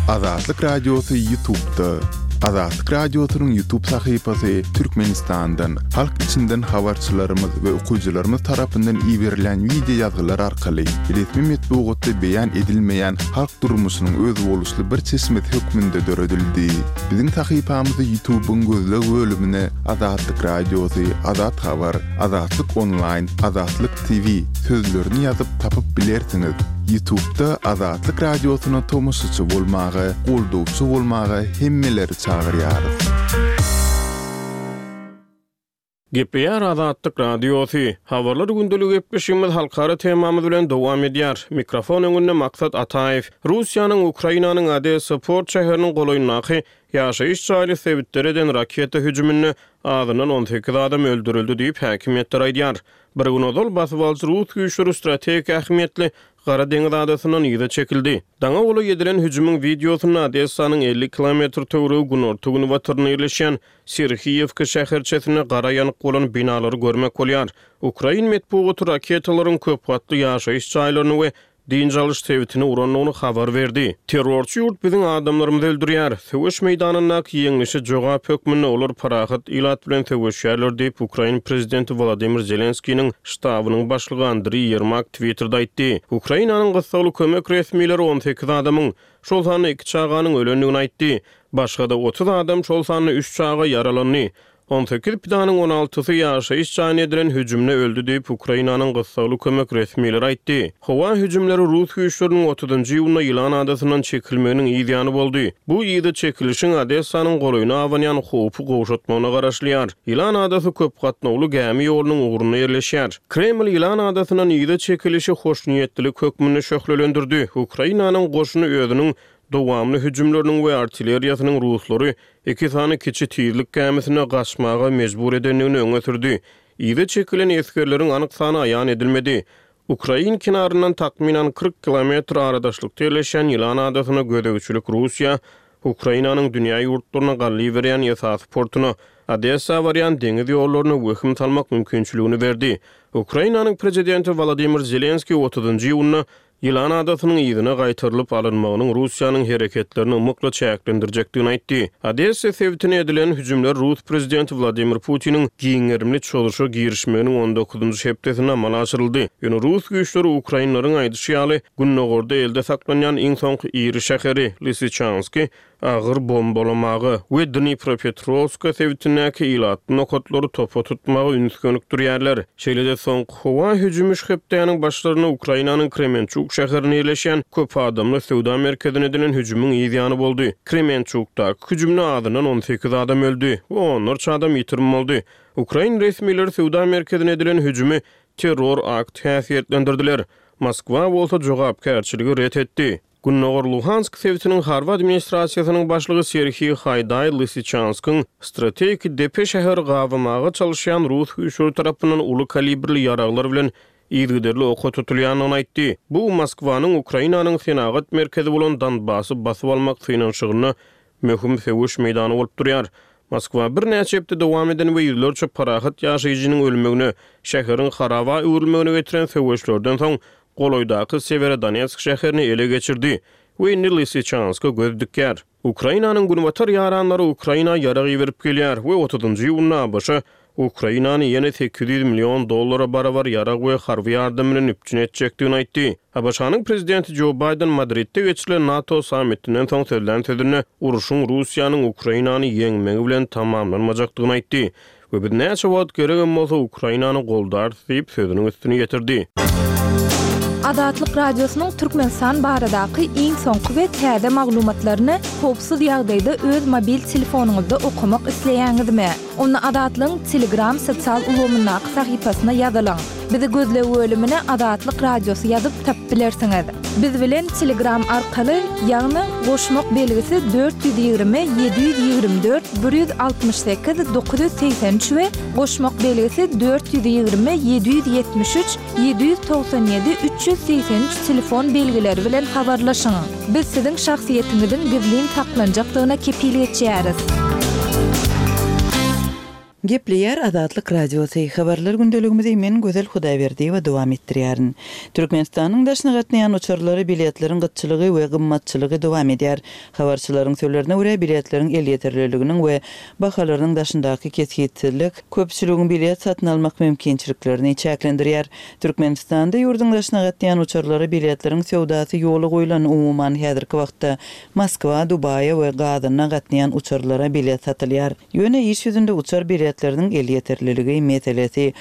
Azatlyk Radiosy Ýutubda. Azatlyk Radiosynyň Ýutub sahypasy Türkmenistandan, halk içinden habarçylarymyz we okyjylarymyz tarapyndan iberilýän wideo ýazgylar arkaly resmi metbugatda beýan edilmeýän halk durmuşynyň özboluşly bir çeşmesi hökmünde döredildi. Biziň sahypamyzy Ýutubyň gözleg bölümine Azatlyk Radiosy, Azat Habar, Azatlyk Onlaýn, Azatlyk TV sözlerini ýazyp tapyp bilersiňiz. Ýutubda Azatlyk Radiosyna tomaşaçy bolmaga, goldawçy bolmaga hemmeleri çagyrýarys. Gepleýär Azatlyk Radiosy. Habarlar gündeligi gepleşigimiz halkara temamyz bilen dowam edýär. Mikrofon öňünde Maksat Ataýew. Russiýanyň Ukrainanyň Odessa port şäheriniň golaýyndaky ýaşaýyş jaýly sebitlere eden raketa hüjüminde azyndan 18 adam öldürildi diýip, häkimiýetler aýdýar. Bir gün ozal basybalyjy rus güýçleri strategik ähmiýetli Gara deňiz adasyndan yza çekildi. Daňa golaý edilen hüjümiň wideosynda Odessanyň 50 kilometr töweregi günorta-günbatarynda ýerleşýän Serhiýewka şäherçesinde gara ýanyk bolan binalary görmek bolýar. Ukrain metbugaty raketalaryň köp gatly ýaşaýyş jaýlaryny we dynç alyş sebitini urandygyny habar berdi. Terrorçy ýurt biziň adamlarymyzy öldürýär. Söweş meýdanyndaky ýeňlişe jogap hökmünde olar parahat ilat bilen söweşýärler diýip, ukrain prezidenti Wolodymyr Zelenskiniň ştabynyň başlygy Andriý Ýermak Twitterde aýtdy. Ukrainanyň gyssagly kömek resmileri 18 adamyň, şol sanda iki çaganyň ölendigini aýtdy. Başga-da 30 adam, şol sanda üç çaga ýaralandy. 18 pidanyň on altysy ýaşaýyş jaýyna edilen hüjümde öldi diýip, Ukrainanyň gyssagly kömek resmileri aýtdy. Howa hüjümleri rus güýçleriniň otuzynjy iýunda Ýylan adasyndan çekilmeginiň yz ýany boldy. Bu yza çekilişiň Odessanyň golaýyna abanýan howpy gowşatmagyna garaşylýar. Ýylan adasy köp gatnawly gämi ýolunyň ugrunda ýerleşýär. Kreml Ýylan adasyndan yza çekilişi hoşniýetlilik hökmünde şöhlelendirdi. Ukrainanyň goşuny özüniň dowamly hüjümleriniň we artilleriýasynyň ruslary iki sany kiçi tizlik gämisine gaçmaga mejbur edendigini öňe sürdi. Yza çekilen esgerleriň anyk sany aýan edilmedi. Ukrain kenaryndan takmynan 40 kilometr aradaşlykda ýerleşýän Ýylan adasyna gözegçilik Russiýa Ukrainanyň dünýä ýurtlaryna gally berýän esasy portuna, Odessa barýan deňiz ýollaryna wehim salmak mümkinçiligini berdi. Ukrainanyň prezidenti Wolodymyr Zelenskiý otuzynjy iýunda Ýylan adasynyň yzyna gaýtarylyp alynmagynyň Russiýanyň hereketlerini ymykly çäklendirjekdigini aýtdy. Odessa sebitine edilen hüjümler rus prezidenti Wladimir Putiniň giň gerimli çozuşa girişmeginiň on dokuzynjy hepdesinde amala aşyryldy. Ýöne rus güýçleri ukrainleriň aýdyşy ýaly, gündogarda elde saklanýan iň soňky iri şäheri, Lysyçansky agyr bombalamaga we Dnipropetrowska sebitindäki ilatly nokatlary topa tutmaga üns gönükdirýärler. Şeýle-de soňky howa hüjümi şu hepdäniň başlarynda Ukrainanyň Kremençuk şäherinde ýerleşýän köp adamly söwda merkezine edilen hüjümiň yz ýany boldy. Kremençukdaky hüjümde azyndan 18 adam öldi we onlarça adam ýitirim boldy. Ukrain resmileri söwda merkezine edilen hüjümi terror akty häsiýetlendirdiler. Moskwa bolsa jogapkärçiligi ret etdi. Gündogar Luhansk sebitiniň harby administrasiýasynyň başlygy Serhiý Haýdaý Lysyçanskyň strategik depe şäheri gabamaga çalyşýan rus güýçleri tarapyndan uly kalibrli ýaraglar bilen yzygiderli oka tutulýandygyny aýtdy. Bu Moskwanyň Ukrainanyň senagat merkezi bolan Donbassy basyp almak synanyşygynda möhüm söweş meýdany bolup durýar. Moskwa birnäçe hepde dowam eden we ýüzlerçe parahat ýaşaýjynyň ölmegine, şäheriň haraba öwrülmegine getiren söweşlerden soň golaýdaky Sewerodonetsk şäherini ele geçirdi we indi Lysyçanska göz dikýär. Ukrainanyň günbatar ýaranlary Ukraina ýarag iberip gelýär we otuzynjy iýunda abş Ukrainany ýene 800 million dollara barabar ýarag we harby ýardam bilen üpjün etjekdigini aýtdy. ABŞ-nyň prezidenti Jo Baýden Madridde geçirilen NATO sammitinden soň sözlän sözünde urşuň Russiýanyň Ukrainany ýeňmegi bilen tamamlanmajakdygyny aýtdy we biz näçe wagt geregem bolsa Ukrainany goldarys diýip, sözüniň üstüni ýetirdi. Azatlyk Radiosynyň Türkmenistan baradaky iň soňky we täze maglumatlaryny howpsuz ýagdaýda öz mobil telefonyňyzda okamak isleýäňizmi? Onda Azatlygyň Telegram sosial ulgamyndaky sahypasyna ýazylyň. Bizi gözleg bölümine Azatlyk Radiosy ýazyp tapyp bilersiňiz. Biz bilen Telegram arkaly, ýagny goşmak belgisi 420 724 168 983 we goşmak belgisi 420 773 797 383 telefon belgileri bilen habarlaşyň. Biz siziň şahsyýetiňiziň gizlin saklanjakdygyna kepil geçýäris. Gepleýär Azatlyk Radiosy, Habarlar gündeligimizi men Gözel Hudaýberdiýewa dowam etdirýärin. Türkmenistanyň daşyna gatnaýan uçarlara biletleriň gytçylygy we gymmatçylygy dowam edýär. Habarçylaryň sözlerine görä, biletleriň elýeterliliginiň we bahalarynyň daşyndaky kesgitsizlik köpçüligiň bilet satyn almak mümkinçiliklerini çäklendirýär. Türkmenistanda ýurduň daşyna gatnaýan uçarlara biletleriň söwdasy ýola goýlan, umuman häzirki wagtda Moskwa, Dubaýa we Gazana gatnaýan uçarlara bilet satylýar. Ýöne iş ýüzünde uçar biletleriniň elýeterliligi meselesi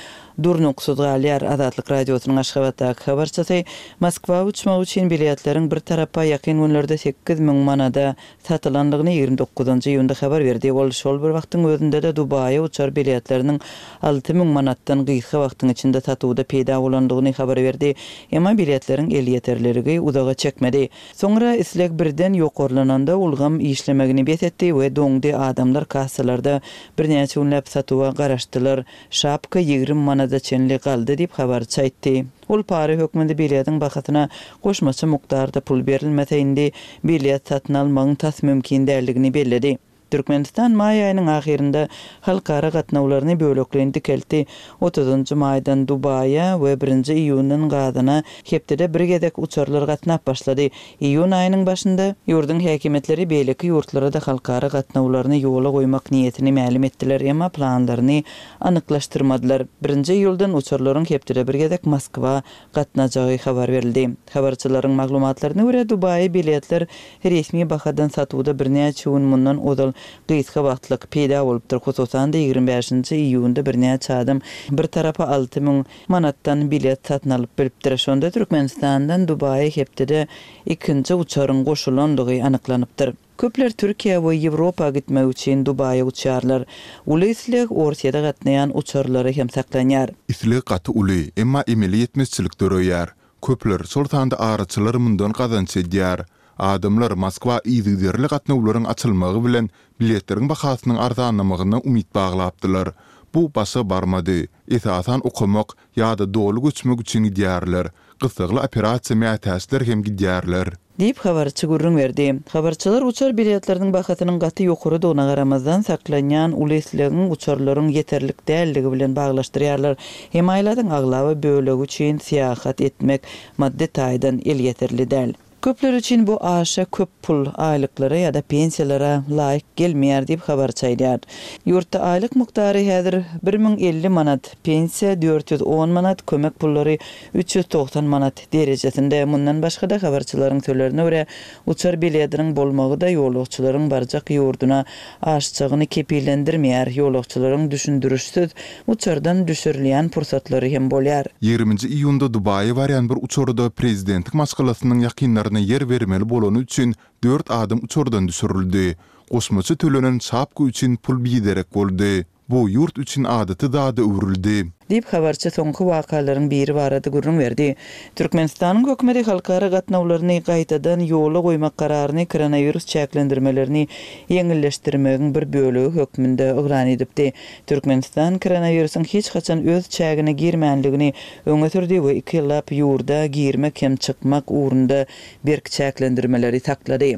durnuksyz galýar. Azatlyk Radiosynyň Aşgabatdaky habarçysy Moskwa uçmak üçin biletleriň bir tarapa ýakyn günlerde 8000 manada satylandygyny 29 iýunda habar berdi. Ol şol bir wagtyň özünde-de Dubaýa uçar biletleriniň 6000 manatdan gysga wagtyň içinde satuwda peýda bolandygyny habar berdi. Emma biletleriň elýeterliligi uzaga çekmedi. Soňra isleg birden ýokarlananda ulgam işlemegini bes etdi we doňdy, adamlar kassalarda birnäçe günläp satuwa garaşdylar, şapka 20 manada çenli galdy diýip, habarçy aýtdy. Ol para hökmünde biletiň bahasyna goşmaça mukdarda pul berilmese indi bilet satyn almagyň tas mümkin däldigini belledi. Türkmenistan maý aýynyň ahyrynda halkara gatnawlaryny bölekleýin dikeltdi. Otuzynjy maýdan Dubaýa we birinji iýundan Gazana hepdede bir gezek uçarlar gatnap başlady. Iýun aýynyň başynda, ýurduň häkimiýetleri beýleki ýurtlara-da halkara gatnawlaryny ýola goýmak niýetini mälim etdiler, emma planlaryny anyklaşdyrmadylar. Birinji iýuldan uçarlaryň hepdede bir gezek Moskwa gatnajagy habar berildi. Habarçylaryň maglumatlaryna görä, Dubaýa biletler resmi bahadan satuwda birnäçe gün mundan ozal gysga wagtlyk peýda bolupdyr. Hususan-da, 25-nji iýunda birnäçe adam bir tarapa 6000 manatdan bilet satyn alyp bilipdir. Şonda Türkmenistandan Dubaýa hepdede ikinji uçaryň goşulandygy anyklanypdyr. Köpler Türkiýä we Ýewropa gitmek üçin Dubaýa uçýarlar. Uly isleg Orsýede gatnaýan uçarlara hem saklanýar. Isleg gaty uly, emma emeli ýetmezçilik döreýär. Köpler, şol sanda araçylar mundan gazanç edýär. Adamlar Moskwa yzygiderli gatnawlaryň açylmagy bilen biletleriň bahasynyň arzanlamagyna umyt baglapdylar. Bu başa barmady. Esasan okamak ýa-da doly göçmek üçin gidýärler. Gyssagly operasiýa mätäçler hem gidýärler. Diýip, habarçy gürrüň berdi. Habarçylar uçar biletleriniň bahasynyň gaty ýokarydygyna garamazdan, saklanýan uly islegiň uçarlaryň ýeterlik däldigi bilen baglaşdyrýarlar. Hemaýlatyň aglaba bölegi üçin syýahat etmek maddy taýdan elýeterli däl. Köpler üçin bu aşa köp pul, aýlyklara ýa-da pensiýalara laýyk gelmeýär diýip, habarçy aýdýar. Ýurtda aýlyk mukdary häzir 1050 manat, pensiýa 410 manat, kömek pullary 390 manat derejesinde. Mundan başga-da, habarçylaryň sözlerine görä, uçar biletiniň bolmagy-da ýolagçylaryň barjak ýurduna aşjagyny kepillendirmeýär, ýolagçylaryň düşündirişsiz uçardan düşürilýän pursatlary hem bolýar. Ýigriminji iýunda Dubaýa barýan bir uçarda prezidentiň maşgalasynyň ýakynlaryna ýer bermeli bolany üçin dört adam uçardan düşürildi. Goşmaça tölenen şapka üçin pul biderek boldy. Bu ýurt üçin adaty zada öwrüldi. Diýip, habarçy soňky wakalaryň biri barada gürrüň berdi. Türkmenistanyň hökümeti halkara gatnawlaryny gaýtadan ýola goýmak kararyny koronawirus çäklendirmelerini ýeňilleşdirmegiň bir bölegi hökmünde yglan edipdi. Türkmenistan koronawirusyň hiç haçan öz çägine girmänligini öňe sürdi we iki ýyllap ýurda girmek hem çykmak ugrunda berk çäklendirmeleri saklady.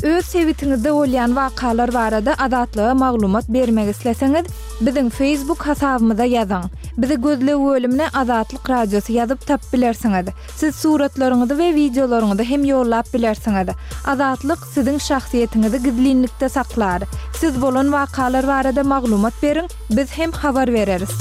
Öz sebitiňizde bolýan wakalar barada Azatlyga maglumat bermek isleseňiz, biziň Facebook hasabymyza ýazyň. Bizi gözleg bölümine Azatlyk Radiosy ýazyp tapyp bilersiňiz. Siz suratlaryňyzy we wideolaryňyzy hem ýollap bilersiňiz. Azatlyk siziň şahsyýetiňizi gizlinlikde saklar. Siz bolan wakalar barada maglumat beriň, biz hem habar bereris.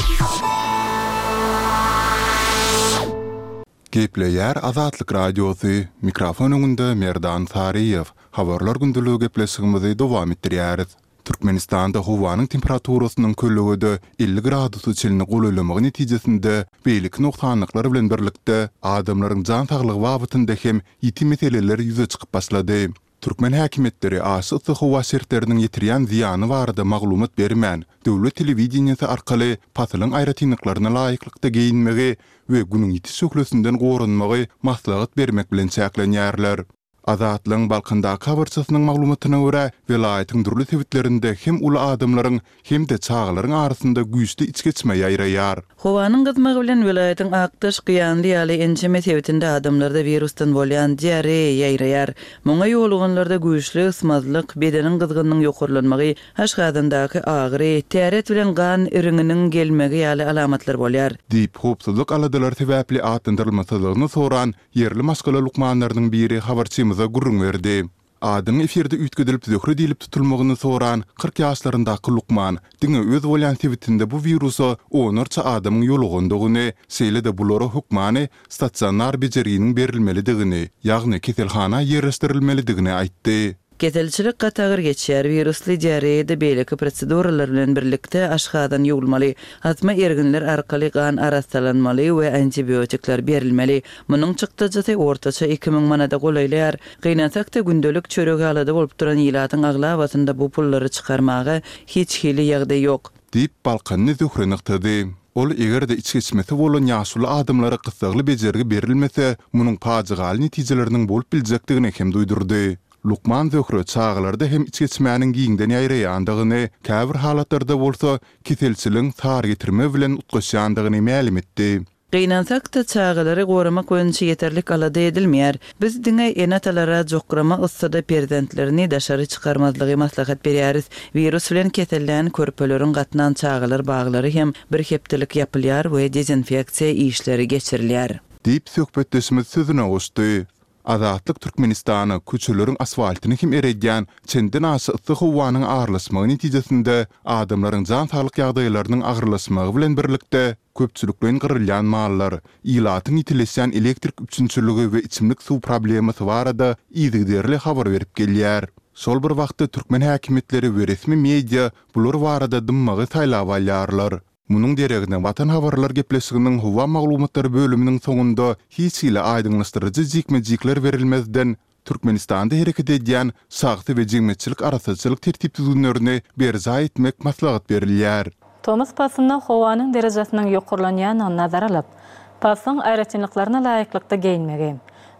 Gepleýär Azatlyk Radiosy, mikrofon öňünde Merdan Saryýew. Habarlar gündeligi gepleşigimizi dowam etdirýäris. Türkmenistanda howanyň temperaturasynyň kölegede 50 gradusa çenli golaýlamagy netijesinde beýleki nogsanlyklar bilen birlikde, adamlaryň jan saglygy babatynda hem ýiti meseleler ýüze çykyp başlady. Türkmen häkimiýetleri aşa yssy howa şertleriniň ýetirýän zyýany barada maglumat bermän, döwlet telewideniýesi arkaly pasylyň aýratynlyklaryna laýyklykda geýinmegi we günüň ýiti şöhlesinden goranmagy maslahat bermek bilen çäklenýärler. Azatlygyň Balkandaky habarçysynyň maglumatyna görä, welaýatyň dürli sebitlerinde hem uly adamlaryň, hem-de çagalaryň arasynda güýçli içgeçme ýaýraýar. Howanyň gyzmagy bilen welaýatyň Akdaş, Gyýanly ýaly ençeme sebitinde adamlarda wirusdan bolýan diareýa ýaýraýar. Muňa ýoluganlarda güýçli ysmazlyk, bedeniň gyzgynynyň ýokarlanmagy, aşgazandaky agyry, täret bilen gan iriňiniň gelmegi ýaly alamatlar bolýar. Diýip, howpsuzlyk aladalary sebäpli atlandyrylmasyzlygyny soran ýerli maşgala lukmanlarynyň biri habarçymyza gürrüň berdi. Adynyň efirde üýtgedilip Zöhre diýlip tutulmagyny soran 40 ýaşlaryndaky lukman diňe öz bolýan sebitinde bu wirusa onlarça adamyň ýolugandygyny, şeýle-de bulara hökmany stasionar bejerginiň berilmelidigini, ýagny keselhana ýerleşdirilmelidigini aýtdy. Keselçilik gaty agyr geçýär. Wirusly diareýada beýleki proseduralar bilen birlikde aşgazan ýuwulmaly, asma erginler arkaly gan arassalanmaly we antibiotikler berilmeli. Munuň çykdajysy ortaça 2000 manada golaýlaýar. Gynansak-da, gündelik çörege alada bolup duran ilatyň aglabasynda bu pullary çykarmaga hiç hili ýagdaý ýok. Diýip, Balkanly Zöhre nygtady. Ol eger-de içgeçmesi bolan ýaşuly adamlara gyssagly bejergi berilmese, munuň pajygaly netijeleriniň bolup biljekdigini hem duýdurdy. Lukman Zöhre çagalarda hem içgeçmäniň giňden ýaýraýandygyny, käbir halatlarda bolsa keselçiligiň sarygetirme bilen utgaşýandygyny mälim etdi. Gynansak-da, çagalary goramak boýunça ýeterlik alada edilmeýär. Biz diňe ene-atalara jokrama yssyda perzentlerini daşary çykarmazlygy maslahat berýäris. Wirus bilen kesellän körpeleriň gatnan çagalar baglary hem bir hepdelik ýapylýar we dezinfeksiýa işleri geçirilýär. Diýip, söhbetdeşimiz sözüne goşdy. Azatlyk Türkmenistana köçeleriň asfaltyny hem eredýän çenden-aşa yssy howanyň aralaşmagy netijesinde adamlaryň jan-saglyk ýagdaýlarynyň agyrlaşmagy bilen birlikde, köpçülikleýin gyrylýan mallar, ilatyň ýitileşýän elektrik üpjünçiligi we içimlik suw problemasy barada yzygiderli habar berip gelýär. Şol bir wagtda türkmen häkimiýetleri we resmi media bular barada dymmagy saýlap alýarlar. Munuň deregine Watan habarlar gepleşiginiň howa maglumatlary bölüminiň soňunda hiç hili aýdyňlaşdyryjy jikme-jikler berilmezden, Türkmenistanda hereket edýän şahsy we jemgyýetçilik arassaçylyk tertip-düzgünlerini berjaý etmek maslahat berilýär. Tomus paslynda howanyň derejesiniň ýokarlanýandygyny nazara alyp, paslyň aýratynlyklaryna laýyklykda geýinmegi,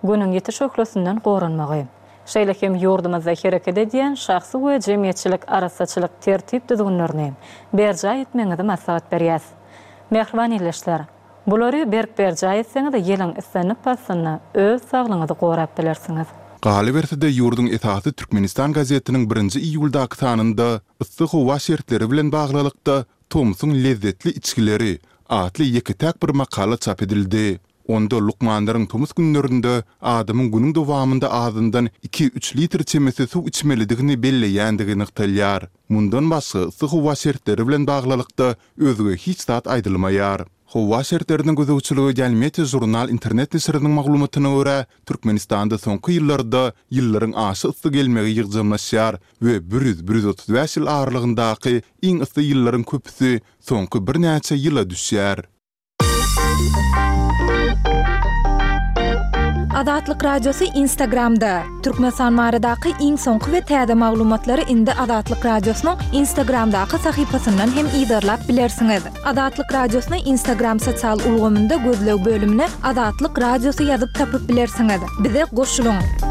Günüň ýiti şöhlesinden goranmagy, Şeýle hem ýurdumyzda hereket edýän şahsy we jemgyýetçilik arassaçylyk tertip-düzgünlerini berjaý etmegiňizi maslahat berýäs. Mähriban ildeşler! Bulary berk berjaý etseňiz, ýylyň islendik paslynda öz saglygyňyzy gorap bilersiňiz. Galyberse-de, ýurduň esasy Türkmenistan gazetiniň birinji iýuldaky sanynda yssy howa şertleri bilen baglylykda Tomsuň lezzetli içgileri atly ýeke-täk bir makala çap edildi. Onda lukmanlaryň tomus günlerinde adamyň günüň dowamynda azyndan iki-üç litr çemesi suw içmelidigini belleýändigi nygtalýar. Mundan başga yssy howa şertleri bilen baglylykda özge hiç zat aýdylmaýar. Howa şertlerine gözegçilik edýän Meteožurnal internet neşiriniň maglumatyna görä, Türkmenistanda soňky ýyllarda ýyllaryň aşa yssy gelmegi ýygjamlaşýar we bir ýüz, bir 135 ýyl aralygyndaky iň yssy ýyllaryň köpüsi soňky birnäçe ýyla düşýär. Azatlyk Radiosy Instagramda, Türkmenistan baradaky iň soňky we täze maglumatlary indi Azatlyk Radiosynyň Instagramdaky sahypasyndan hem yzarlap bilersiňiz. Azatlyk Radiosyny Instagram sosial ulgamynda gözleg bölümine Azatlyk Radiosy ýazyp tapyp bilersiňiz. Bize goşulyň!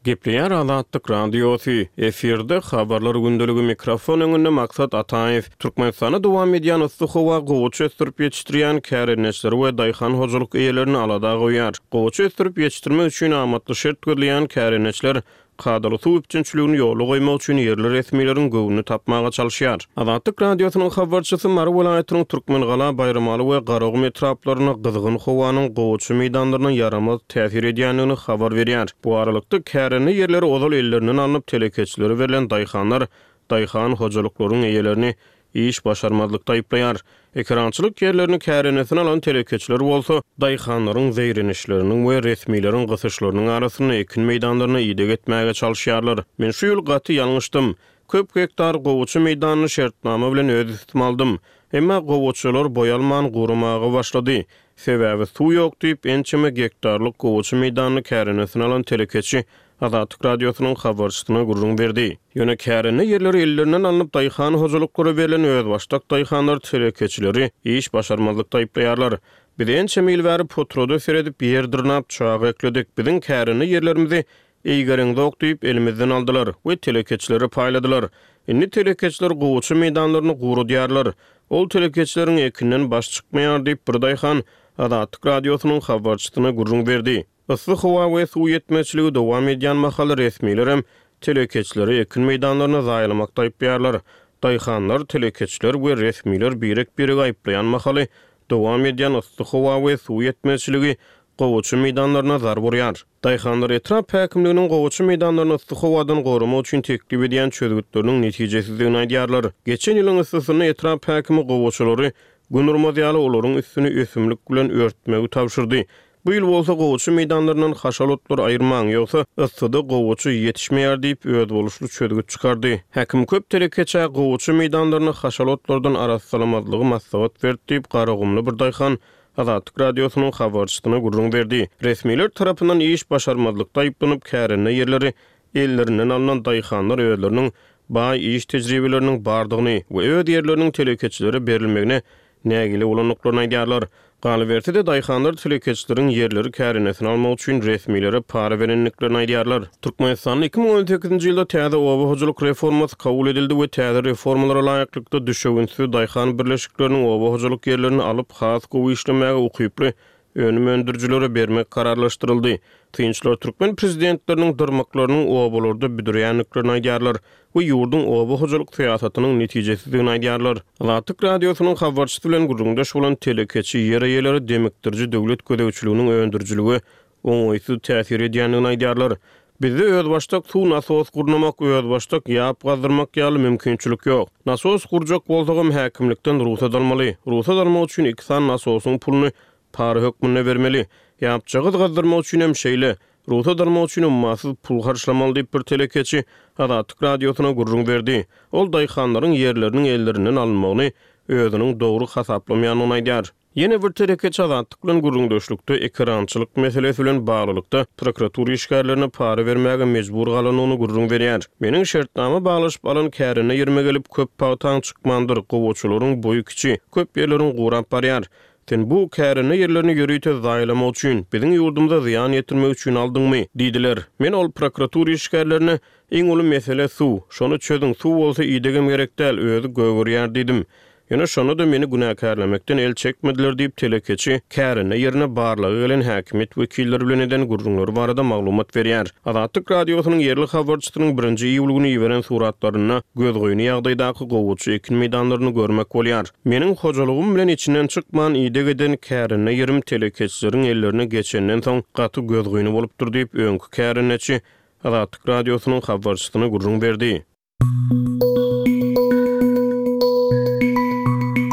Gepleýär Azatlyk Radiosy, efirde Habarlar gündeligi mikrofon öňünde Maksat Ataýew. Türkmenistanda dowam edýän yssy howa gowaça ösdürip ýetişdirýän kärendeçileri we daýhan hojalyk eýelerini alada goýýar. Gowaça ösdürip ýetişdirmek üçin amatly şert gözleýän kärendeçiler kadaly suw üpjünçiligini ýola goýmak üçin ýerli resmileriň göwnüni tapmaga çalyşýar. Azatlyk Radiosynyň habarçysy Mary welaýatynyň Türkmengala, Baýramaly we Garagum etraplarynda gyzgyn howanyň gowaça meýdanlaryna ýaramaz täsir edýändigini habar berýär. Bu aralykda, kärende ýerleri ozal ellerinden alnyp, telekeçilere berlen daýhanlar daýhan hojalyklaryň eýelerini iş başarmazlykda aýyplaýar. Ekerançylyk ýerlerini kärendesin alan telekeçiler bolsa, daýhanlaryň zeýrenişleriniň we resmileriň gysyşlarynyň arasynda ekin meýdanlaryna ideg etmäge çalyşýarlar. Men şu ýyl gaty ýalňyşdym. Köp gektar gowaça meýdanyny şertnama bilen öz üstüme aldym. Emma gowaçalar boý alman guramaga başlady. Sebäbi suw ýok diýip, ençeme gektarlyk gowaça meýdanyny kärendesin alan telekeçi Azatlyk Radiosynyň habarçysyna gürrüň berdi. Ýöne kärende ýerleri ellerinden alnyp daýhan hojalyklara berlen özbaşdak daýhanlar telekeçileri iş başarmazlykda aýyplaýarlar. Biz ençeme ýyl bäri potrada seredip, ýer dyrnap, çaga ekledik. Biziň kärende ýerlerimizi eýgereňzok diýip, elimizden aldylar we telekeçilere paýladylar. Indi telekeçiler gowaça meýdanlaryny guradýarlar. Ol telekeçileriň ekinden baş çykmaýar diýip, bir daýhan Azatlyk Radiosynyň habarçysyna gürrüň berdi. Yssy howa we suw ýetmezçiligi dowam edýän mahaly resmilerem telekeçileri ekin meýdanlaryny zaýalamakda aýyplaýarlar. Daýhanlar, telekeçiler we resmiler birek-biregi aýyplaýan mahaly dowam edýän yssy howa we suw ýetmezçiligi gowaça meýdanlaryna zarba urýar. Daýhanlar etrap häkimliginiň gowaça meýdanlaryny yssy howadan goramak üçin teklip edýän çözgütleriniň netijesizdigini aýdýarlar. Geçen ýylyň yssysynda etrap häkimi gowaçalary Gün urmaz ýaly olaryň üstüni ösümlik bilen örtmegi tabşyrdy. Bu ýyl bolsa gowaça meýdanlaryndan haşal otlary aýyrmaň, ýogsa yssyda gowaça ýetişmeýär diýip, özboluşly çözgüt çykardy. Häkim köp telekeçä gowaça meýdanlaryny haşal otlardan arassalamazlygy maslahat berdi diýip, garagumly bir daýhan Azatlyk Radiosynyň habarçysyna gürrüň berdi. Resmiler tarapyndan iş başarmazlykda aýyplanyp, kärende ýerleri ellerinden alnan daýhanlar özleriniň baý iş tejribeleriniň bardygyny we öz ýerleriniň telekeçilere berilmegine nägile bolandyklaryny aýdýarlar. Galyberse-de, daýhanlar telekeçileriň ýerleri kärendesin almak üçin resmilere para berendiklerini aýdýarlar. Türkmenistanda 2018-nji ýylda täze oba hojalyk reformasy kabul edildi we täze reformalara laýyklykda düşewüntsiz daýhan birleşikleriniň oba hojalyk ýerlerini alyp, has gowy işlemäge ukyply önüm öndürijilere bermek kararlaşdyryldy. Synçylar türkmen prezidentleriniň dyrmyklarynyň obalarda büdreýändiklerini aýdýarlar we ýurduň oba hojalyk syýasatynyň netijesizdigini aýdýarlar. Azatlyk Radiosynyň habarçysy bilen gürrüňdeş bolan telekeçi ýer eýeleri demikdiriji döwlet gözegçiliginiň öndürijilige oňaýsyz täsir edýändigini aýdýarlar. Bizde özbaşdak suw nasos gurnamak, özbaşdak ýap gazdyrmak ýaly mümkinçilik ýok. Nasos gurjak bolsagam häkimlikden rugsat almaly. Rugsat almak üçin iki sany nasosyň puluny para hökmünde bermeli. Ýapjagaz gazdyrmak üçin hem şeýle. Rugsat almak üçin ummasyz pul harçlamaly diýip bir telekeçi Azatlyk Radiosyna gürrüň berdi. Ol daýhanlaryň ýerleriniň ellerinden alynmagyny özüniň dogry hasaplamaýandygyny aýdýar. Ýene bir telekeçi Azatlyk bilen gürrüňdeşlikde ekerançylyk meselesi bilen baglylykda prokuratura işgärlerine para bermäge mejbur galandygyny gürrüň berýär. Meniň şertnama baglaşyp alan kärende ýerime gelip, köp pagtaň çykmandyr, gowaçalaryň boýy kiçi, köp ýerleriň gurap barýar. Sen bu kärende ýerlerini ýörite zaýalamak üçin, biziň ýurdumyza zyýan ýetirmek üçin aldyňmy? diýdiler. Men ol prokuratura işgärlerine, Iň uly mesele suw. Şony çözüň, suw bolsa idegem gerek däl, özi gögerýär diýdim. Ýöne şonda-da meni günäkärlemekden el çekmediler diýip, telekeçi kärende ýerine barlaga gelen häkimiýet wekilleri bilen eden gürrüňleri barada maglumat berýär. Azatlyk Radiosynyň ýerli habarçysynyň birinji iýul güni iberen suratlarynda gözgyny ýagdaýdaky gowaça ekin meýdanlaryny görmek bolýar. Meniň hojalygym bilen içinden çykman ideg eden kärende ýerim telekeçileriň ellerine geçenden soň gaty gözgyny bolupdyr diýip, öňki kärendeçi Azatlyk Radiosynyň habarçysyna gürrüň berdi.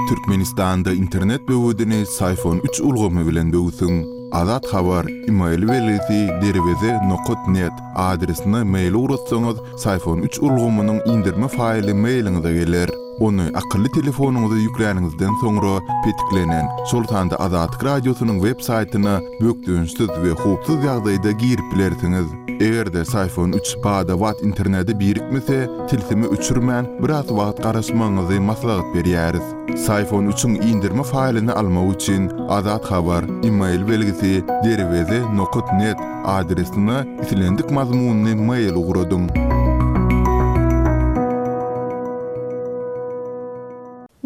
Türkmenistanda internet böwedini Syfon üç ulgamy bilen böwsüň. Azat Habar, email belgisi derweze nokat net, adresine mail ugratsaňyz, Syfon üç ulgamynyň indirme faýly mailiňize geler. Ony akylly telefonyňyza ýükläniňizden soňra petiklenen, şol sanda Azatlyk Radiosynyň web saýtyna bökdençsiz we howpsuz ýagdaýda girip bilersiňiz. Eger-de Syfon üç bada-bat internete birikmese, tilsimi öçürmän, biraz wagt garaşmagyňyzy maslahat berýäris. Syfon üçiň indirme faýlyny almak üçin Azat Habar, email belgisi, derweze nokat net, adresine islendik mazmunly mail ugradyň.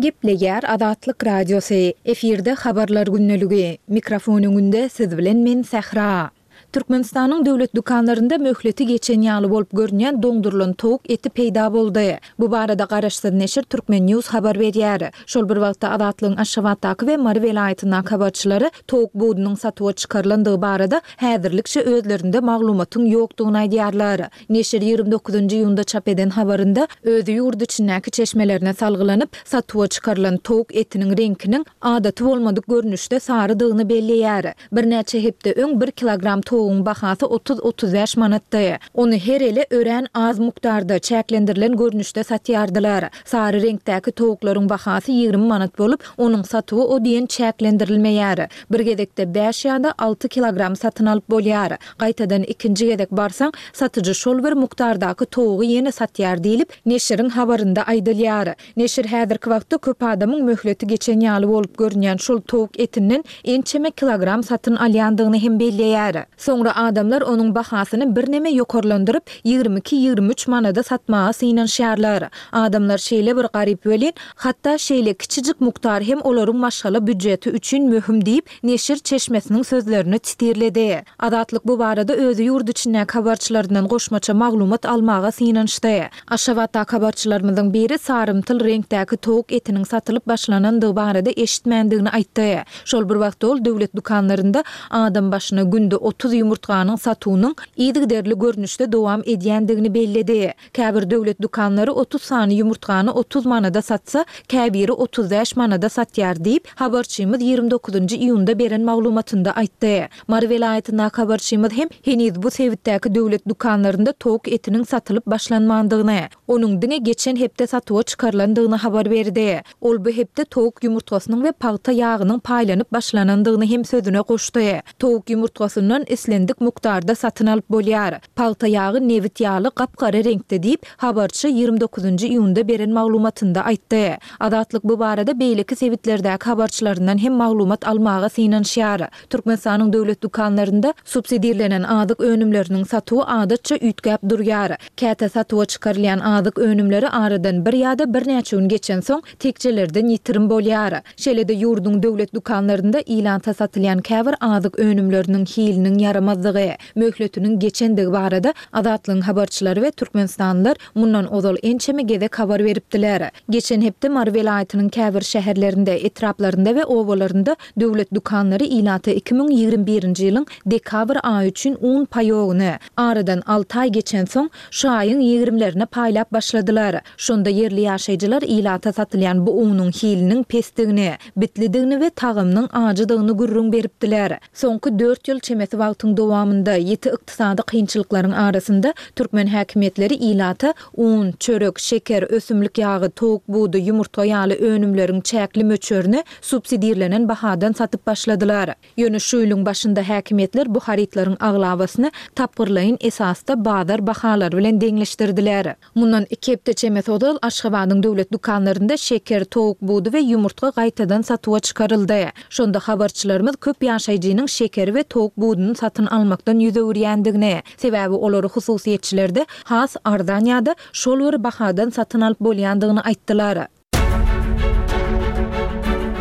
Gepleýär Azatlyk Radiosy, efirde Habarlar gündeligi. Mikrofon öňünde siz bilen men Sähra. Türkmenistanyň döwlet dükanlarynda möhleti geçen ýaly bolup görünýän doňdurylan towuk eti peýda boldy. Bu barada garaşsyz neşir Turkmen News habar berýär. Şol bir wagtda Azatlygyň Aşgabatdaky we Mary welaýatyndaky habarçylary towuk budunyň satuwa çykarylandygy barada häzirlikçe özlerinde maglumatyň ýokdugyny aýdýarlar. Neşir 29 iýunda çap eden habarynda öz ýurt içindäki çeşmelerine salgylanyp, satuwa çykarylan towuk etiniň reňkiniň adaty bolmadyk görnüşde sarydygyny belleýär. Birnäçe hepde öň bir kilogram towuk. towugyň bahasy 30-35 manatdy. Ony her ele örän az mukdarda, çäklendirilen görnüşde satýardylar. Sary reňkdäki towuklaryň bahasy 20 manat bolup, onuň satuwy o diýen çäklendirilmeýär. Bir gezekde bäş ýa-da alty kilogram satyn alyp bolýar. Gaýtadan ikinji gezek barsaň, satyjy şol bir mukdardaky towugy ýene satýar diýlip, neşiriň habarynda aýdylýar. Neşir häzirki wagtda köp adamyň möhleti geçen ýaly bolup görünýän şol towuk etinden ençeme kilogram satyn alýandygyny hem belleýär. Soňra adamlar onuň bahasyny birneme ýokarlandyryp, 22-23 manada satmaga synanyşýarlar. Adamlar şeýle bir garyp welin, hatda şeýle kiçijik mukdar hem olaryň maşgala býujeti üçin möhüm diýip, neşir çeşmesiniň sözlerini sitirledi. Azatlyk bu barada özi ýurt içindäki habarçylaryndan goşmaça maglumat almaga synanyşdy. Aşgabatdaky habarçylarymyzyň biri sarymtyl reňkdäki towuk etiniň satylyp başlanandygy barada eşitmändigini aýtdy. Şol bir wagtda ol döwlet dükanlarynda adam başyna günde 30 ýumurtganyň satuwynyň yzygiderli görnüşde dowam edýändigini belledi. Käbir döwlet dükanlary 30 sany ýumurtgany 30 manada satsa, käbiri 35 manada satýar diýip, habarçymyz 29-njy iýunda beren maglumatynda aýtdy. Mary welaýatyndaky habarçymyz hem heniz bu sebitdäki döwlet dükanlarynda towuk etiniň satylyp başlanmandygyny, onuň diňe geçen hepde satuwa çykarylandygyny habar berdi. Ol bu hepde towuk ýumurtgasynyň we pagta ýagynyň paýlanyp başlanandygyny hem sözüne goşdy. Towuk ýumurtgasyndan islendik mukdarda satyn alyp bolýar. Pagta ýagy nebit ýaly gap-gara reňkde diýip, habarçy 29 iýunda beren maglumatynda aýtdy. Azatlyk bu barada beýleki sebitlerdäki habarçylaryndan hem maglumat almaga synanyşýar. Türkmenistanyň döwlet dükanlarynda subsidirlenen azyk önümleriniň satuwy adatça üýtgäp durýar. Käte satuwa çykarylýan azyk önümleri aradan bir ýa-da birnäçe gün geçensoň, tekjelerden ýitirim bolýar. Şeýle-de ýurduň döwlet dükanlarynda ilata satylýan käbir azyk önümleriniň hiliniň ýaramazdygy, möhletiniň geçendigi barada Azatlygyň habarçylary we türkmenistanlylar mundan ozal ençeme gezek habar beripdiler. Geçen hepde Mary welaýatynyň käbir şäherlerinde, etraplarynda we obalarynda döwlet dükanlary ilata 2021-nji ýylyň dekabr aýy üçin un paýogyny, aradan alty aý geçensoň, şu aýyň ýigrimlerine paýlap başladylar. Şonda ýerli ýaşaýjylar ilata satylýan bu unuň hiliniň pesdigini, bitlidigini we tagamynyň ajydygyny gürrüň beripdiler. Soňky dört ýyl çemesi wagtyň dowamynda, ýiti ykdysady kynçylyklaryň arasynda türkmen häkimiýetleri ilata un, çörek, şeker, ösümlik ýagy, towuk budy, ýumurtga ýaly önümleriň çäkli möçberini subsidirlenen bahadan satyp başladylar. Ýöne şu ýylyň başynda häkimiýetler bu harytlaryň aglabasyny tapgyrlaýyn esasda bazar bahalary bilen deňleşdirdiler. Mundan iki hepde çemesi ozal Aşgabadyň döwlet dükanlarynda şeker, towuk budy we ýumurtga gaýtadan satuwa çykaryldy. Şonda habarçylarymyz köp ýaşaýjynyň şekeri we towuk buduny satyn almakdan ýüz öwürýändigini, sebäbi olary hususyýetçilerde has arzan ýa-da şol bir bahadan satyn alyp bolýandygyny aýtdylar.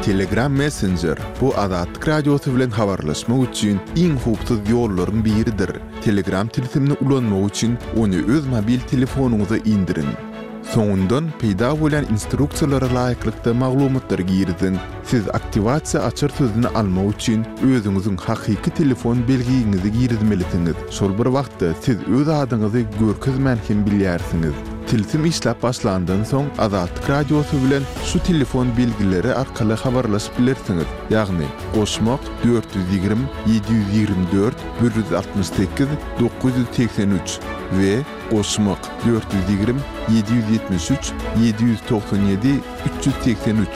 Telegram Messenger, bu Azatlyk Radiosy bilen habarlaşmak üçin iň howpsuz ýollaryň biridir. Telegram tilsimini ulanmak üçin ony öz mobil telefonyňyza indiriň. Soňundan peýda bolýan instruksiýalara laýyklykda maglumatlary giriziň. Siz aktiwasiýa açar sözüni almak üçin özüňiziň hakyky telefon belgiňizi girizmelisiňiz. Şol bir wagtda siz öz adyňyzy görkezmän hem bilýärsiňiz. Tilsim işläp başlandan soň Azatlyk Radiosy bilen şu telefon belgileri arkaly habarlaşyp bilersiňiz, ýagny, goşmak, 420 724 168 983 we goşmak, 420 773 797 383.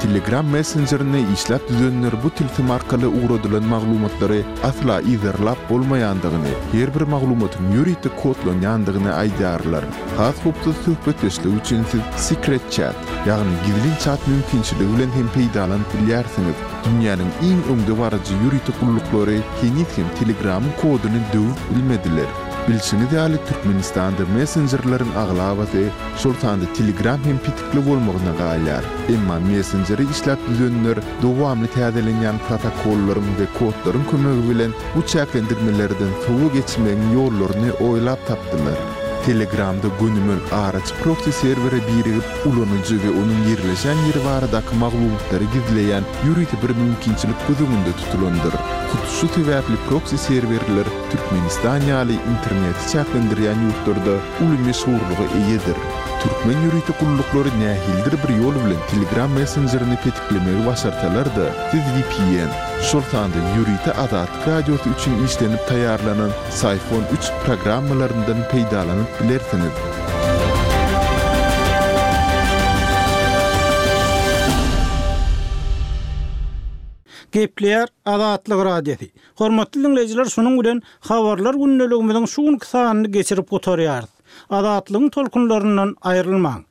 Telegram messenjerini işläp düzenler bu tilsim arkaly ugradylan maglumatlary asla yzarlap bolmaýandygyny, her bir maglumatyň ýörite kodlanýandygyny aýdýarlar. Has howpsuz söhbetdeşlik üçin siz Secret Chat, ýagny gizlin çat mümkinçiligi bilen hem peýdalanyp bilýärsiňiz. Dünýäniň iň öňdebaryjy ýörite gulluklary heniz hem Telegramyň koduny döwüp bilmediler. Bilşiňiz ýaly, Türkmenistanda messenjerleriň aglabasy, şol sanda Telegram hem petikli bolmagyna galýar. Emma messenjeri işläp düzenler dowamly täzelenýän protokollaryň we kodlaryň kömegi bilen bu çäklendirmelerden sowa geçmegiň ýollaryny oýlap tapdylar. Telegramda gönümel araçy proksi serwere birigip, ulanyjy we onuň ýerleşen ýeri baradaky maglumatlary gizleýän ýörite bir mümkinçilik göz öňünde tutulandyr. Hut şu sebäpli proksi serwerler Türkmenistan ýaly interneti çäklendirýän ýurtlarda uly meşhurlyga eýedir. Türkmen ýörite gulluklary nähilidir bir ýol bilen Telegram messenjerini petiklemegi başarsalar-da, siz vpn, şol sanda ýörite Azatlyk Radiosy üçin işlenip taýýarlanan Syphon üç programmalaryndan peýdalanyp bilersiňiz. Gepleýär Azatlyk Radiosy. Hormatly diňleýjiler şunuň bilen Habarlar gündeligimiziň şu günki sanyny geçirip gutarýarys. Azatlygyň tolkunlaryndan aýrylmaň.